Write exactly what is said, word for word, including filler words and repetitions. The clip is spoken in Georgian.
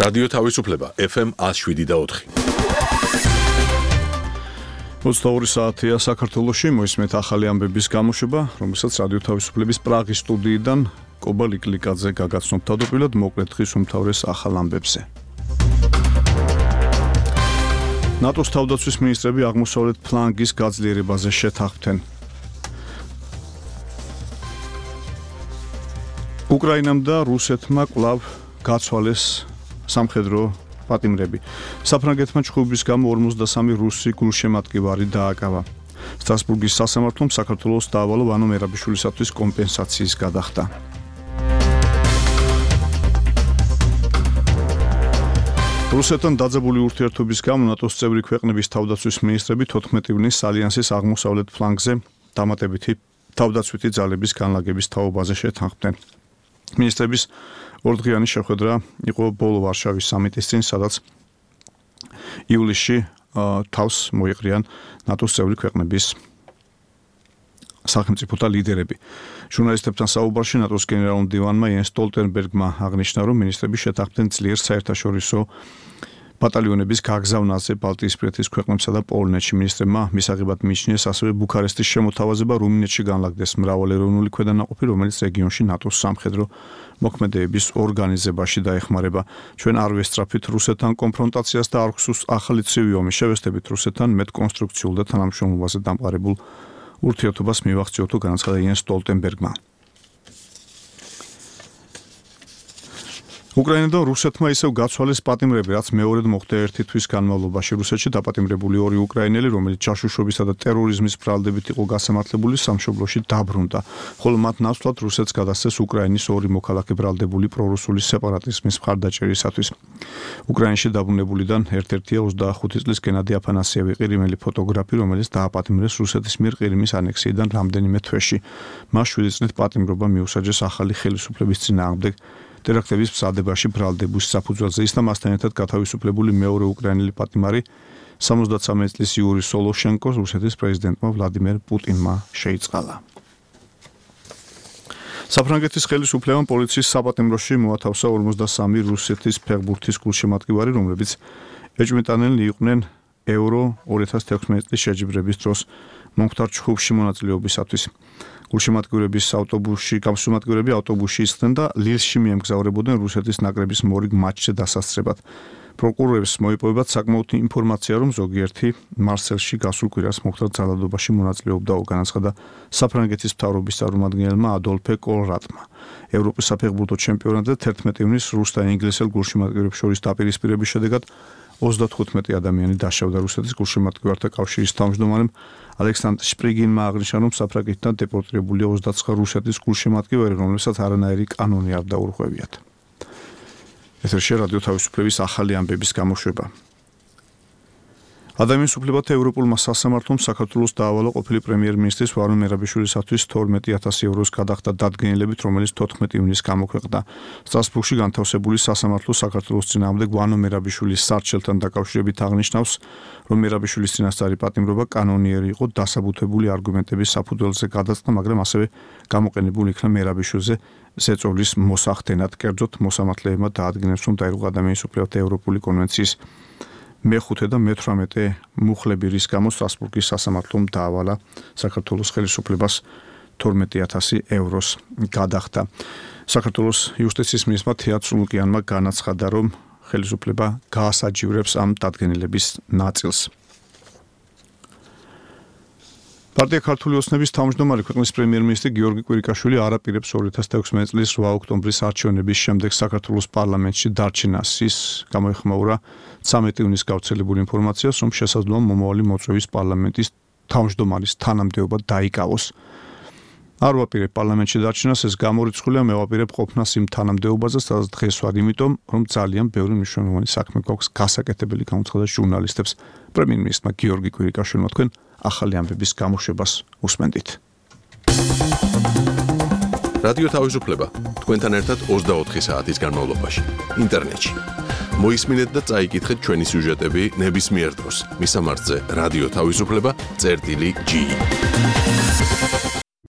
რადიო თავისუფლება ეფ ემ ათს შვიდი და ოთხი. ოცდაორი საათია საქართველოში, მოისმენთ ახალი ამბების გამოშვება, რომელსაც რადიო თავისუფლების პრაღის სტუდიიდან კობა ლიკლიკაძე გაგაცნობ თავდაპირველად მოკლედ დღის უმთავრეს ახალ ამბებზე. ნატოს თავდაცვის მინისტრები აღმოსავლეთ ფლანგის გაძლიერებაზე შეთანხმდნენ. უკრაინამ და რუსეთმა კვლავ გაცვალეს სამხედრო პატიმრები. საფრანგეთმა ჩხუბის გამო ორმოცდასამი რუსი გულშემატკივარი დააკავა. სტრასბურგის სასამართლომ საქართველოს დაავალა ვანო მერაბიშვილისათვის კომპენსაციის გადახდა. რუსეთთან დაძაბული ურთიერთობის გამო ნატოს წევრი ქვეყნების თავდაცვის მინისტრები თოთხმეტი ივნისს ალიანსის აღმოსავლეთ ფლანგზე დამატებითი თავდაცვითი ძალების განლაგების თაობაზე შეთანხმდნენ. მინისტრების ორდღიანი შეხვედრა იყო ბოლო ვარშავის სამიტის წინ, სადაც ივლისში თავს მოიყრიან ნატოს წევრი ქვეყნების სახელმწიფოთა ლიდერები. ჟურნალისტებთან საუბარში ნატოს გენერალურ მდივანმა იენს სტოლტენბერგმა აღნიშნა, რომ მინისტრები შეთანხმდნენ ძლიერ საერთაშორისო ბატალიონების გაგზავნაზე ბალტიისპირეთის ქვეყნებსა და პოლონეთში. მინისტრებმა მისაღებად მიიჩნიეს ასევე ბუქარესტის შემოთავაზება რუმინეთში განლაგდეს მრავალეროვნული ქვედანაყოფი, რომელიც რეგიონში ნატოს სამხედრო მოქმედებების ორგანიზებაში დაეხმარება. ჩვენ არ ვესწრაფით რუსეთთან კონფრონტაციას და არ გვსურს ახალი ცივი ომი. შევესწრებით რუსეთთან მეტ კონსტრუქციულ და თანამშრომლობაზე დამყარებულ ურთიერთობას მივახციოთ, განაცხადა იენს სტოლტენბერგმა. უკრაინა და რუსეთმა ისევ გაცვალეს პატიმრები, რაც მეორედ მოხდა ერთი თვის განმავლობაში. რუსეთში დაპატიმრებული ორი უკრაინელი, რომელიც ჯაშუშობისა და ტერორიზმის ბრალდებით იყო გასამართლებული, სამშობლოში დაბრუნდა, ხოლო მათ ნაცვლად რუსეთს გადასცეს უკრაინის ორი მოქალაქე ბრალდებული პრორუსული სეპარატიზმის მხარდაჭერისათვის. უკრაინაში დაბრუნებულიდან ერთ-ერთია ოცდახუთი წლის გენადი აფანასიევი, ყირიმელი ფოტოგრაფი, რომელიც დააპატიმრეს რუსეთის მიერ ყირიმის ანექსიიდან რამდენიმე თვეში. მას შვიდი წლით პატიმრობა მიუსაჯეს ახალი ხელისუფლების წინააღმდეგ ტერაქტების მზადებაში ბრალდების საფუძველზე. ის და მასთან ერთად გათავისუფლებული მეორე უკრაინელი პატიმარი სამოცდაცამეტ წლის იური სოლოშენკოს რუსეთის პრეზიდენტმა ვლადიმერ პუტინმა შეიწყალა. საფრანგეთის ხელისუფლებამ პოლიციის საპატიმროში მოათავსა ორმოცდასამი რუსეთის ფეხბურთის გულშემატკივარი, რომლებიც ეჭვმიტანილნი იყვნენ ევრო ორი ათას თექვსმეტი წლის შეჯიბრების დროს მომხდარ ჩხუბში მონაწილეობისათვის. გულშემატკივრების ავტობუსში გამსხმატკივრები ავტობუსში ისხდნენ და ლილში მიემგზავრებოდნენ რუსეთის ნაკრების მორიგ მატჩზე დასასწრებად. პროკურორებს მოიპოვებათ საკმაოთი ინფორმაცია, რომ ზოგიერთი მარსელში გასულ კვირას მომხდარ ძალადობაში მონაწილეობდა, განაცხადა საფრანგეთის მთავრობის წარმომადგენელმა ადოლფე კოლრატმა. ევროპის საფეხბურთო ჩემპიონატზე თერთმეტი ივნისს რუს და ინგლისელ გულშემატკივრებს შორის დაპირისპირების შედეგად ოცდათხუთმეტი ადამიანი დაშავდა. რუსეთის გულშემატკივართა კავშირის თავმჯდომარემ ალექსანდრ შპრიგინმა აღნიშნა, რომ საფრანგეთიდან დეპორტირებულია ოცდაცხრა რუსეთის გულშემატკივარი, რომლებსაც არანაირი კანონი არ დაურღვევიათ. ეთერში რადიო თავისუფლების ახალი ამბების გამოშვება. ადამიანის უფლებათა ევროპულმა სასამართლომ საქართველოს დაავალა ყოფილი პრემიერ-მინისტრის ვანო მერაბიშვილისათვის თორმეტი ათასი ევროს გადახდა დადგენილებით, რომელიც თოთხმეტი ივნისს გამოქვეყნდა. სტრასბურგში განთავსებული სასამართლო საქართველოს წინააღმდეგ ვანო მერაბიშვილის სარჩელთან დაკავშირებით აღნიშნავს, რომ მერაბიშვილის წინასწარი პატიმრობა კანონიერი იყო, დასაბუთებული არგუმენტების საფუძველზე გადაწყდა, მაგრამ ასევე გამოყენებული იქნა მერაბიშვილზე ზეწოლის მოსახდენად. კერძოდ, მოსამართლეებმა დაადგინეს, რომ დაირღვა ადამიანის უფლებათა ევროპული კონვენციის მეხუთე და მეთვრამეტე მუხლები, რის გამო სტრასბურგის სასამართლომ დაავალა საქართველოს ხელისუფლებას თორმეტი ათასი ევროს გადახდა. საქართველოს იუსტიციის მინისტრმა თეატ სულუკიანმა განაცხადა, რომ ხელისუფლება გაასაჯივრებს ამ დადგენილების ნაწილს. პარტია ქართული ოცნების თავმჯდომარე ქვეყნის პრემიერ-მინისტრი გიორგი კვირიკაშვილი არ აპირებს ორი ათას თექვსმეტი წლის რვა ოქტომბრის არჩევნების შემდეგ საქართველოს პარლამენტში დარჩენას. ის გამოეხმაურა ცამეტი ივნისს გავრცელებული ინფორმაციას, რომ შესაძლოა მომავალი მოწვევის პარლამენტის თავმჯდომარის თანამდებობა დაიკავოს. არ ვაპირებ პარლამენტში დარჩენას, ეს გამორიცხულია, მე ვაპირებ ყოფნას იმ თანამდებობაზე, სადაც დღეს ვარ, იმიტომ რომ ძალიან ბევრი მნიშვნელოვანი საქმე გვაქვს გასაკეთებელი, გამოცხადა ჟურნალისტებს პრემიერ-მინისტრმა გიორგი კვირიკაშვილმა. თქვენ ახალი ამბების გამოშვებას უსმენთ. რადიო თავისუფლება თქვენთან ერთად ოცდაოთხი საათის განმავლობაში ინტერნეტში. მოისმინეთ და წაიკითხეთ ჩვენი სიუჟეტები ნებისმიერ დროს. მისამართზე რადიო თავისუფლება წერტილი ჯი.